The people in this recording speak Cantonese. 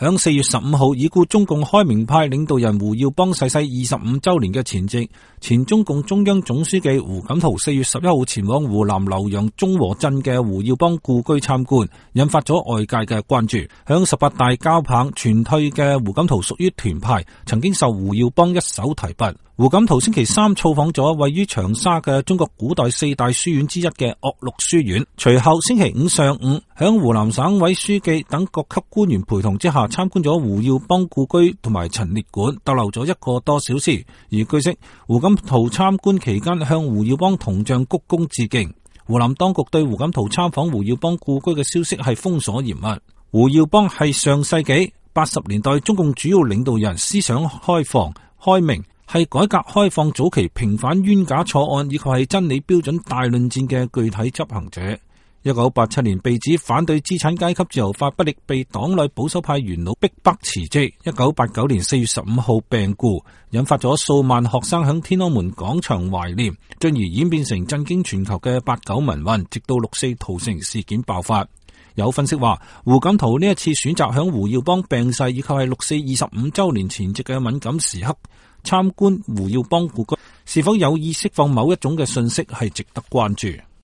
響4月15號，已故中共開明派領導人胡耀邦逝世25周年嘅前夕，前中共中央總書記胡錦濤4月11號前往湖南瀏陽中和鎮嘅胡耀邦故居參觀，引發咗外界嘅關注。響18大交棒全退嘅胡錦濤屬於團派，曾經受胡耀邦一手提拔。胡錦濤星期三造訪咗位於長沙嘅中國古代4大書院之一嘅岳麓書院，隨後星期五上午響湖南省委書記等各級官員陪同之下參觀咗胡耀邦故居同埋陳列館，逗留咗1個多小時。而據悉，胡錦濤參觀期間向胡耀邦銅像鞠躬致敬。湖南當局對胡錦濤參訪胡耀邦故居嘅消息係封鎖嚴密。胡耀邦係上世紀80年代中共主要領導人，思想開放開明，係改革開放早期平反冤假錯案以及係真理標準大論戰嘅具體執行者。1987年被指反對資產階級自由化不力，被黨內保守派元老逼迫辭職。1989年4月15號病故，引發咗數萬學生響天安門廣場懷念，進而演變成震驚全球嘅89民運，直到6·4屠城事件爆發。有分析話，胡錦濤呢一次選擇響胡耀邦病逝以及係6·4 25周年前夕嘅敏感時刻參觀胡耀邦故居，是否有意釋放某一種嘅信息，係值得關注。